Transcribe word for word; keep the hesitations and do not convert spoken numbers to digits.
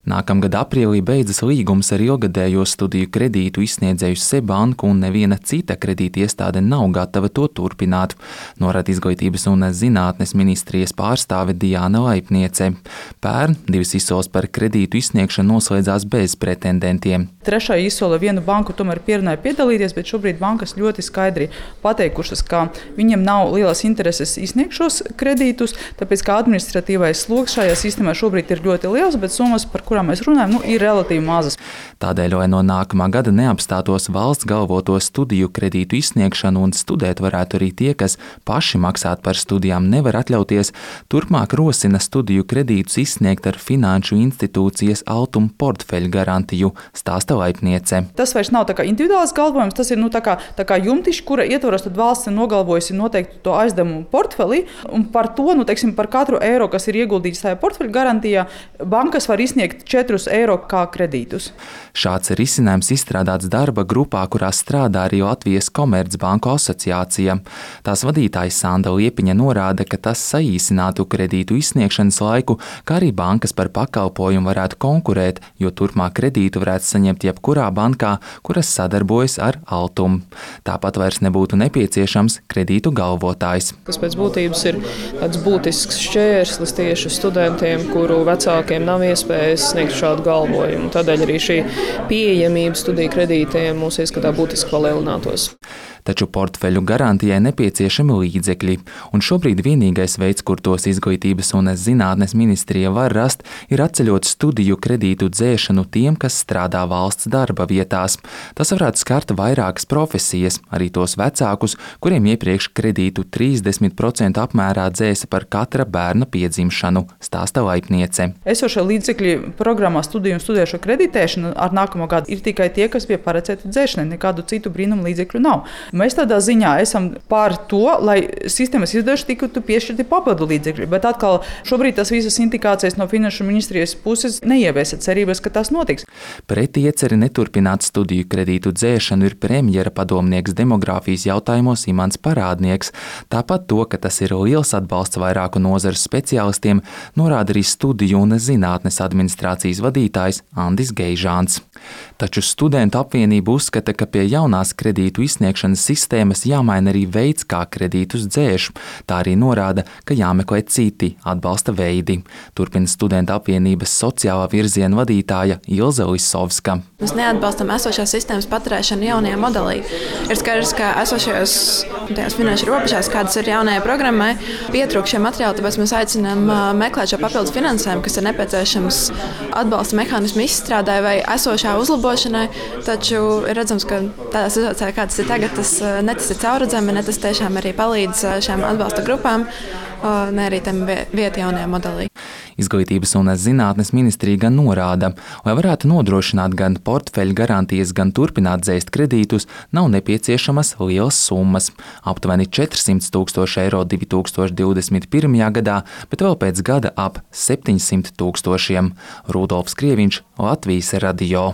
Nākamgad aprīlī beidzas līgums ar ilgadējo studiju kredītu izsniedzēju Seibanku, un neviena cita kredīta iestāde nav gatava to turpināt, norāda Izglītības un zinātnes ministrijas pārstāve Diāna Laipniece. Pērn divas izsoles par kredītu izsniegšanu noslēdzās bez pretendentiem. Trešā izsole vienu banku tomēr pierunāja piedalīties, bet šobrīd bankas ļoti skaidri pateikušas, ka viņiem nav lielas intereses izsniegt šos kredītus, tāpēc kā administratīvais sloks šajā sistēmā šobrīd ir ļoti liels, bet summas, par kurām mēs runājam, nu, ir relatīvi mazas. Tādēļ, lai no nākamā gada neapstātos valsts galvoto studiju kredītu izsniegšanu un studēt varētu arī tie, kas paši maksāt par studijām nevar atļauties, turpmāk rosina studiju kredītus izsniegt ar finanšu institūcijas Altum portfeļu garantiju, stāsta Laipniece. Tas vairs nav tā kā individuāls galvojums, tas ir nu, tā kā, tā kā jumtiši, kura ietvaros tad valsts ir nogalvojusi noteikti to aizdevumu portfeli, un par to, nu, teiksim, par katru eiro, kas ir ieguldīts tajā portfeļu garantijā, bankas var izsniegt četrus eiro kā kredītus. Šāds risinājums izstrādāts darba grupā, kurā strādā arī Latvijas Komercbanku asociācija. Tās vadītājs Sanda Liepiņa norāda, ka tas saīsinātu kredītu izsniegšanas laiku, kā arī bankas par pakalpojumu varētu konkurēt, jo turpmāk kredītu varētu saņemt jebkurā bankā, kuras sadarbojas ar Altum. Tāpat vairs nebūtu nepieciešams kredītu galvotājs. Tas pēc būtības ir tāds būtisks šķērslis tieši studentiem, kuru vecākiem nav iespējas sniegt šādu galvojumu. Tādēļ arī šī pieejamība studiju kredītiem mūsu ieskatā būtiski palielinātos. Taču portfeļu garantijai nepieciešami līdzekļi, un šobrīd vienīgais veids, kur tos Izglītības un zinātnes ministrija var rast, ir atceļot studiju kredītu dzēšanu tiem, kas strādā valsts darba vietās. Tas varētu skart vairākas profesijas, arī tos vecākus, kuriem iepriekš kredītu trīsdesmit procentu apmērā dzēsa par katra bērna piedzimšanu, stāsta Laipniece. Esošie līdzekļi programmā studiju un studēšo kreditēšanu ar nākamo gadu ir tikai tie, kas bija paredzēti dzēšanai, nekādu citu brīnumu līdzekļu nav. Mēs tādā ziņā esam pār to, lai sistēmas izdevuši tiktu piešķirti papildu līdzekļi, bet atkal šobrīd tas visas indikācijas no Finanšu ministrijas puses neieviesa cerības, ka tas notiks. Pret ieceri neturpināt studiju kredītu dzēšanu ir premjera padomnieks demogrāfijas jautājumos Imants Parādnieks. Tāpat to, ka tas ir liels atbalsts vairāku nozaru speciālistiem, norāda arī studiju un zinātnes administrācijas vadītājs Andis Geižāns. Taču studentu apvienība uzskata, ka pie jaunās kredītu izsniegšanas sistēmas jāmaina arī veids, kā kredītus dzēš. Tā arī norāda, ka jāmeklē citi atbalsta veidi. Turpina studentu apvienības sociālā virziena vadītāja Ilze Lisovska. Mēs neatbalstam esošās sistēmas paturēšanu jaunajā modelī. Ir skaidrs, ka esošajās finanšu robežās, kādas ir jaunajai programmai, pietrūkst šie materiāli, tāpēc mēs aicinām meklēt šo papildus finansējumu, kas ir nepieciešams atbalsta mehānismu izstrādē vai esošā uzlabošanai, taču ir redzams, ka tādā situācijā, kā tas ir tagad, tas ne tas ir caurredzami, ne tas tiešām arī palīdz šiem atbalsta grupām, ne arī tam vieta jaunajā modelī. Izglītības un zinātnes ministrija gan norāda, lai varētu nodrošināt gan portfeļu garantijas, gan turpināt dzēst kredītus, nav nepieciešamas lielas summas. Aptuveni četrsimt tūkstoši eiro divi tūkstoši divdesmit pirmajā gadā, bet vēl pēc gada ap septiņsimt tūkstošiem. Rudolfs Krieviņš, Latvijas radio.